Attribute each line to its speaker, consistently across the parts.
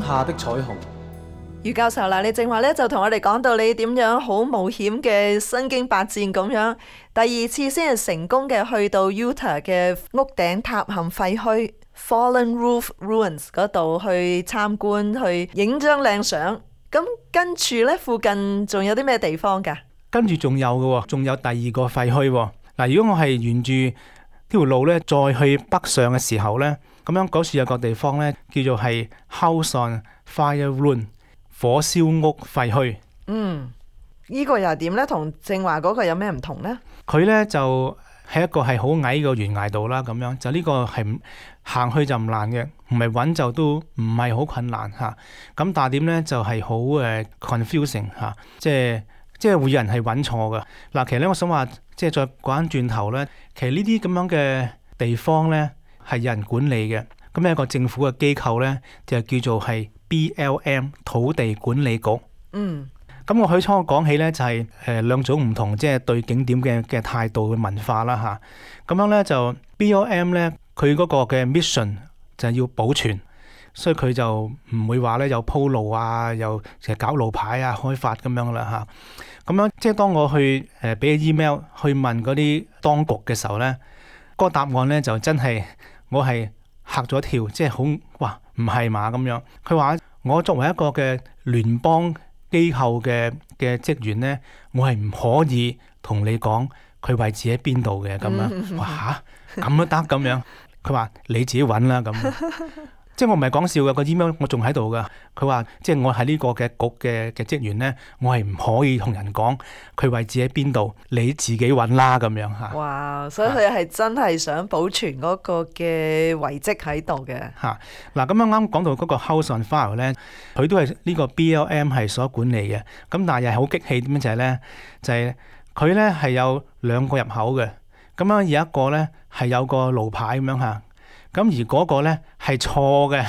Speaker 1: 下的彩虹。
Speaker 2: 余教授啦，你正話咧就同我哋講到你點樣好冒險嘅身經百戰咁樣，第二次先係成功嘅去到 Utah 嘅屋頂塌陷廢墟 Fallen Roof Ruins 嗰度去參觀，去影張靚相。咁跟住咧附近仲有啲咩地方㗎？
Speaker 3: 跟住仲有嘅，仲有第二個廢墟。嗱，如果我係沿住呢條路咧再去北上嘅時候咧，咁樣嗰處有個地方咧叫做係 House on Fire Ruin。火燒屋廢墟，
Speaker 2: 呢個又係點呢？同正話嗰個有咩唔同呢？
Speaker 3: 佢呢就係一個係好矮個懸崖度啦，咁樣就呢個係行去就唔難嘅，唔係揾就都唔係好困難嚇。咁但係點呢就係好confusing 嚇，即係會有人係揾錯嘅。嗱，其實咧我想話，即係再講翻轉頭呢，其實呢啲咁樣嘅地方呢係有人管理嘅，咁有一個政府嘅機構呢，就叫做係BLM 土地管理局。咁我起初講起咧就係兩種唔同，即係對景點嘅態度嘅文化啦嚇。咁樣咧就 BLM 咧佢嗰個嘅 mission 就係要保存，所以佢就唔會話咧有鋪路啊，又成日搞路牌啊、開發咁樣啦嚇。咁樣即係當我去俾 email 去問嗰啲當局嘅時候咧，嗰個答案咧就真係我係嚇咗一跳，即係好哇唔係嘛咁樣。佢話我作為一個嘅聯邦機構嘅職員呢，我係唔可以同你講佢位置喺邊度嘅咁樣。哇嚇，咁都得咁樣？佢話你自己揾啦咁。即係我唔係講笑嘅，個 email 我仲喺度噶。佢話即係我係呢個嘅局嘅職員呢，我係唔可以同人講佢位置喺邊度，你自己揾啦咁樣嚇。
Speaker 2: 哇！所以佢係真係想保存嗰個嘅遺跡喺度嘅
Speaker 3: 嚇。嗱，咁啱講到嗰個 House on Fire 咧，佢都係呢個 BLM 係所管理嘅。咁但係又係好激氣點樣就係咧，就係佢咧係有兩個入口嘅。咁樣有一個咧係有個路牌咁樣嚇。咁而嗰個咧係錯嘅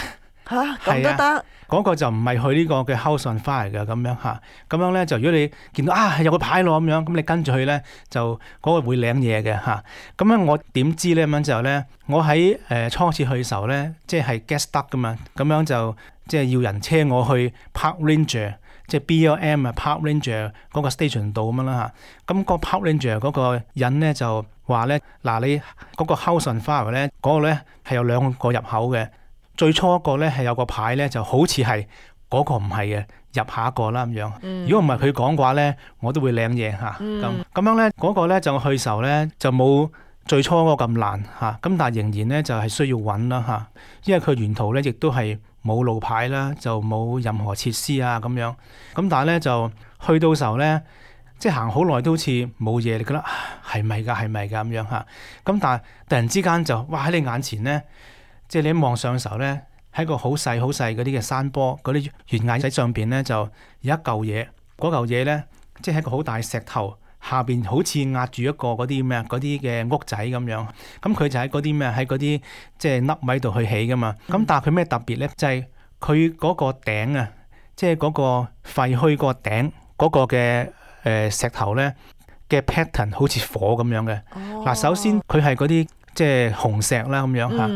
Speaker 2: 嚇，咁都得？
Speaker 3: 嗰個就唔係去呢個嘅 House on Fire 嘅咁樣嚇。咁樣咧就如果你見到係有個牌咯咁樣，咁你跟住去咧就嗰個會領嘢嘅嚇。咁樣我點知咧咁樣之後咧，我喺初次去嘅時候咧，即係 get stuck 噶嘛，咁樣就即係要人車我去 Park Ranger， 即係 BLM Park Ranger 嗰個 station 度咁樣啦嚇。咁個 Park Ranger 嗰個人咧就話咧，嗱，你嗰個 House on Fire 咧，嗰個咧係有兩個入口嘅。最初一個咧係有個牌咧，就好似係嗰個唔係嘅，入下一個啦咁樣。如果唔係佢講嘅話咧，我都會領嘢嚇。咁樣咧，嗰個咧就去時候咧就冇最初嗰個咁難嚇。咁但係仍然咧就係需要揾啦嚇，因為佢沿途咧亦都係冇路牌啦，就冇任何設施啊咁樣。咁但係咧就去到時候咧，即係行好耐都好似冇嘢，你覺得係咪㗎？係咪㗎咁樣嚇？咁但係突然之間就哇喺你眼前咧，即係你一望上嘅時候咧，喺個好細好細嗰啲嘅山坡嗰啲懸崖仔上邊咧，就有一嚿嘢。嗰嚿嘢咧，即係一個好大石頭下邊，好似壓住一個嗰啲咩嗰啲嘅屋仔咁樣。咁佢就喺嗰啲咩喺嗰啲即係凹位度去起㗎嘛。咁但係佢咩特別咧？就係佢嗰個頂啊，即係嗰個廢墟個頂嗰個嘅石頭咧嘅 pattern 好似火咁樣嘅。嗱，首先佢係嗰啲即係紅石啦咁樣嚇，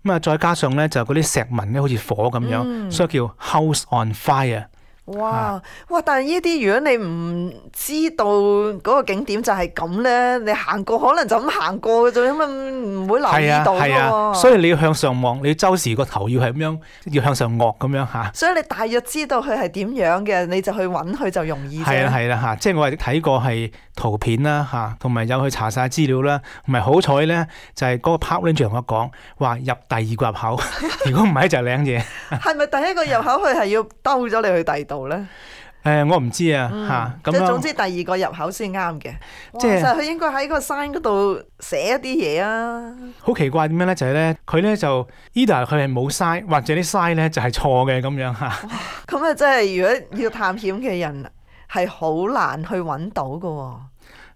Speaker 3: 咁啊再加上咧就嗰啲石紋咧好似火咁樣，所以叫 House on Fire。
Speaker 2: 哇！但係呢啲如果你唔知道嗰個景點就係咁咧，你行過可能就咁行過嘅啫，咁唔會留意到嘅喎。
Speaker 3: 所以你要向上望，你要周時個頭要係咁樣，要向上卧咁樣嚇。
Speaker 2: 所以你大約知道佢係點樣嘅，你就去揾佢就容易啫。
Speaker 3: 係啦嚇，即係我係睇過係圖片啦嚇，同埋有去查晒資料啦，同埋好彩咧就係嗰個 Park Ranger 同我講話入第二個入口，如果唔係就領嘢。
Speaker 2: 係咪第一個入口佢係要兜咗你去第二度咧？
Speaker 3: 我唔知啊嚇，
Speaker 2: 即係總之第二個入口先啱嘅。即係佢應該喺個山嗰度寫一啲嘢啊。
Speaker 3: 好奇怪點樣咧？就係咧，佢咧就 either 佢係冇 sign，或者啲 sign 咧就係錯嘅咁樣嚇。
Speaker 2: 咁啊，真係如果要探險嘅人係好難去揾到㗎喎。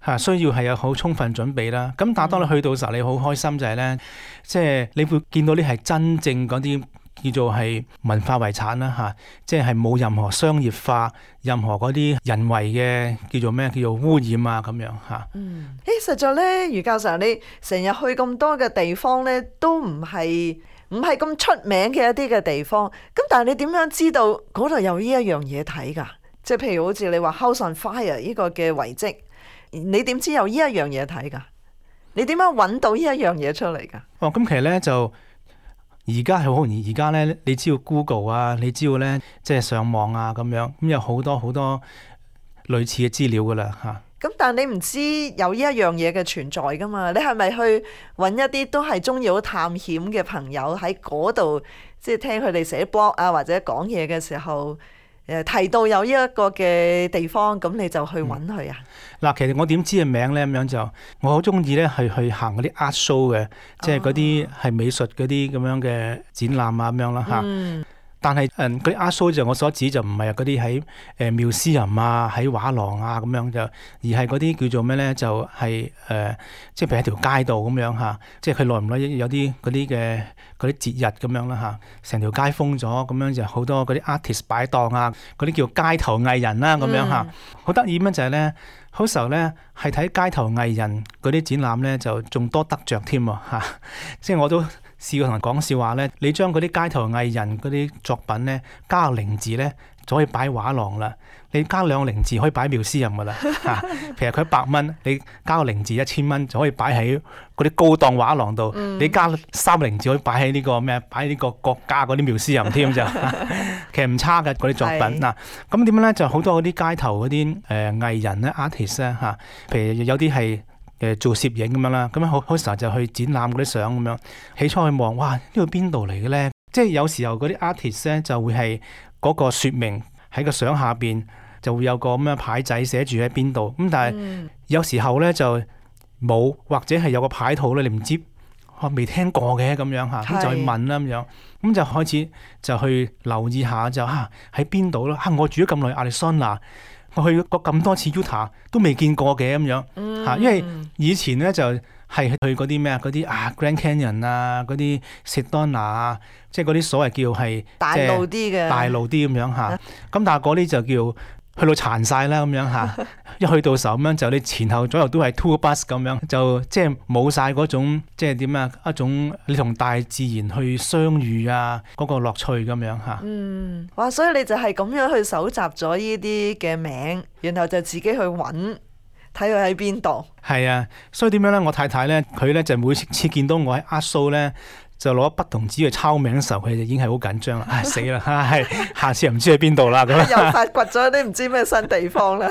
Speaker 3: 嚇，需要係有好充分準備啦。咁但係當你去到時候，你好開心就係咧，即係你會見到啲係真正嗰啲叫做係文化遺產啦嚇，即係冇任何商業化、任何嗰啲人為嘅叫做咩叫做污染啊咁樣嚇。
Speaker 2: 實在咧，余教授你成日去咁多嘅地方咧，都唔係唔係咁出名嘅一啲嘅地方。咁但係你點樣知道嗰度有呢一樣嘢睇㗎？即係譬如好似你話 House on Fire 呢個嘅遺跡，你點知有呢一樣嘢睇㗎？你點樣揾到呢一樣嘢出嚟㗎？
Speaker 3: 哦，咁其實咧就而家係好容易，而家咧你知道 Google 啊，你知道咧即係上網啊咁樣，咁有好多好多類似嘅資料㗎啦嚇。
Speaker 2: 咁但係你唔知有呢一樣嘢嘅存在㗎嘛？你係咪去揾一啲都係中意好探險嘅朋友喺嗰度，即係聽佢哋寫 blog 啊或者講嘢嘅時候，提到有呢一個嘅地方，咁你就去揾佢啊？
Speaker 3: 嗱，其實我點知嘅名咧咁樣就，我好中意咧係去行嗰啲 art show 嘅，即係嗰啲係美術嗰啲咁樣嘅展覽啊咁樣啦嚇。但係嗰啲 art show 就我所指就唔係嗰啲喺museum啊喺畫廊啊咁樣就，而係嗰啲叫做咩咧就係即係譬如喺條街度咁樣嚇，即係佢耐唔耐有啲嗰啲嘅嗰啲節日咁樣啦嚇，成條街封咗咁樣就好多嗰啲 artist 擺檔啊，嗰啲叫街頭藝人啦咁樣嚇，好得意咁就係咧，好時候咧係睇街頭藝人嗰啲展覽咧就仲多得着添喎嚇，即係我都試過同人講笑話咧，你將嗰啲街頭藝人嗰啲作品咧加個零字咧，就可以擺畫廊啦。你加兩個零字可以擺museum噶啦嚇。其實佢100蚊，你加個零字1000蚊就可以擺喺嗰啲高檔畫廊度。你加3個零字可以擺喺呢個咩？擺喺呢個國家嗰啲museum添就。其實唔差嘅嗰啲作品嗱。咁點樣咧？就好多嗰啲街頭嗰啲藝人咧 artist 咧嚇，譬如有啲係做攝影咁樣啦，咁樣好時候就去展覽嗰啲相咁樣。起初去望，哇！呢個邊度嚟嘅咧？即係有時候嗰啲 artist 咧就會係嗰個説明喺個相下邊就會有個咁樣牌仔寫住喺邊度。咁但係有時候咧就冇，或者係有個牌套咧，你唔知我未聽過嘅咁樣嚇，咁就去問啦咁樣。咁就開始就去留意下就喺邊度咯。我住咗咁耐亞利桑那，我去過咁多次 Utah 都未見過嘅咁樣嚇，因為以前咧就係去嗰啲咩嗰啲Grand Canyon 啊，嗰啲 Sedona 啊，即係嗰啲所謂叫係
Speaker 2: 大路啲嘅
Speaker 3: 大路啲咁樣嚇。咁但係嗰啲就叫去到殘晒啦咁樣嚇。一去到時候咁樣就你前後左右都係 tour bus 咁樣，就即係冇晒嗰種即係點啊一種你同大自然去相遇啊嗰個樂趣咁樣嚇。
Speaker 2: 哇！所以你就係咁樣去搜集咗呢啲嘅名，然後就自己去揾睇佢喺邊度。係
Speaker 3: 啊，所以點樣咧？我太太咧，佢咧就每次見到我喺 art show 咧，就攞筆同紙去抄名嘅時候，佢就已經係好緊張啦。死啦！下次又唔知喺邊度啦咁。
Speaker 2: 又發掘咗啲唔知咩新地方啦。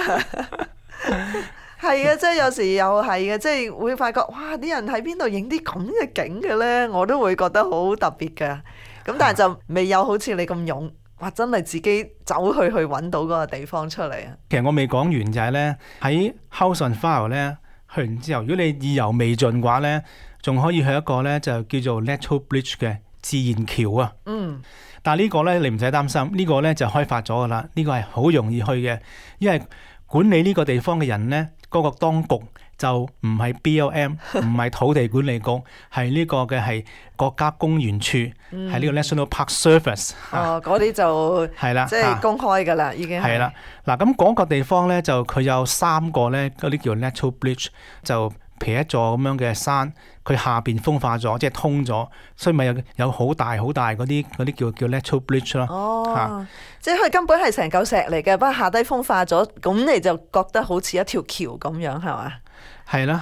Speaker 2: 係啊，即係有時又係嘅，即係會發覺哇！啲人喺邊度影啲咁嘅景嘅咧，我都會覺得好特別㗎。咁但係就未有好似你咁勇，哇！真係自己走去揾到嗰個地方出嚟啊！
Speaker 3: 其實我未講完就係咧，喺 House on Fire 咧去完之後，如果你意猶未盡嘅話咧，仲可以去一個咧就叫做 Natural Bridge 嘅自然橋啊。但係呢個咧你唔使擔心，呢個咧就開發咗噶啦，呢個係好容易去嘅，因為管理呢個地方嘅人咧，嗰個當局就唔係 BLM，唔係土地管理局，係呢個嘅係國家公園處，係呢個 National Park Service。
Speaker 2: 嗰啲就
Speaker 3: 係啦，
Speaker 2: 即係公開㗎啦，已經
Speaker 3: 係啦。嗱，咁嗰個地方咧就佢有3個咧嗰啲叫 Natural Bridge，就譬如一座咁樣嘅山，佢下邊風化咗，即係通咗，所以咪有好大好大嗰啲叫 Natural Bridge 咯。
Speaker 2: 即係佢根本係成嚿石嚟嘅，不過下低風化咗，咁你就覺得好似一條橋咁樣，係嘛？
Speaker 3: 係啦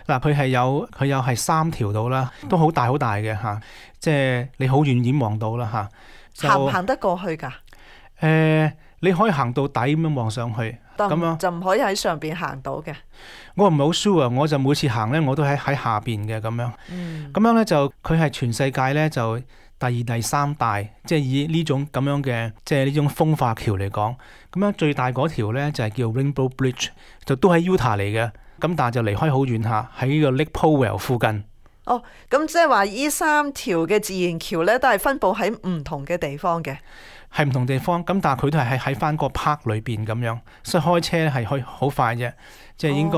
Speaker 3: 嚇，嗱佢有係3條到啦，都好大好大嘅嚇，即係你好遠遠望到啦嚇。
Speaker 2: 行唔行得過去㗎？
Speaker 3: 你可以行到底咁樣望上去，咁樣
Speaker 2: 就唔可以喺上邊行到嘅。
Speaker 3: 我唔係好 sure，我就每次行咧，我都喺下邊嘅咁樣。咁樣咧就佢係全世界咧就第2、第3大，即係以呢種咁樣嘅即係呢種風化橋嚟講，咁樣最大嗰條咧就係叫 Rainbow Bridge，就都喺 Utah 嚟嘅。咁但係就離開好遠下，喺呢個 Lake Powell 附近。
Speaker 2: 咁即係話呢3條嘅自然橋咧，都係分佈喺唔同嘅地方嘅。
Speaker 3: 係唔同地方，咁但係佢都係喺翻個 park 裏邊咁樣，所以開車咧係可以好快啫，即係應該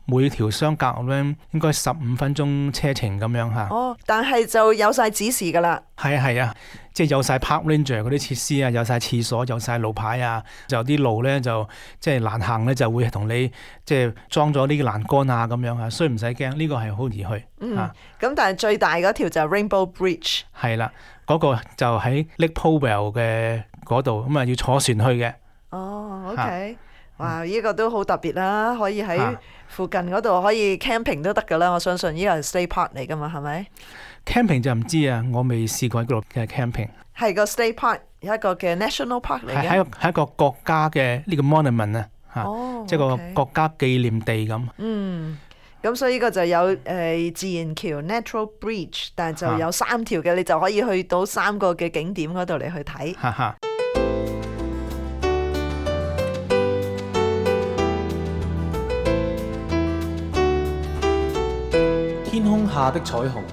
Speaker 3: 每條相隔咁樣應該15分鐘車程咁樣嚇。
Speaker 2: 哦，但係就有晒指示㗎啦。
Speaker 3: 係啊係啊，即係有晒 park ranger 嗰啲設施啊，有晒廁所，有晒路牌啊，就有啲路咧就即係難行咧，就會同你即係裝咗呢個欄杆啊咁樣啊，所以唔使驚，呢個係好易去嚇。
Speaker 2: 咁但係最大嗰條就係 Rainbow Bridge。
Speaker 3: 係啦，嗰個就喺 Lake Powell 嘅嗰度，咁啊要坐船去嘅。
Speaker 2: 哦，OK，哇！呢個都好特別啦，可以喺附近嗰度可以 camping 都得㗎啦。我相信呢個係 state park 嚟㗎嘛，係咪？
Speaker 3: camping 就唔知啊，我未試過喺嗰度嘅 camping。
Speaker 2: 係個 state park，有一個嘅 national park 嚟嘅。
Speaker 3: 係一個國家嘅呢個 monument 啊，嚇，即係個國家紀念地咁。
Speaker 2: 咁所以呢個就有自然橋 natural bridge， 但係就有3條嘅，你就可以去到3個嘅景點嗰度嚟去睇。
Speaker 1: 天空下的彩虹。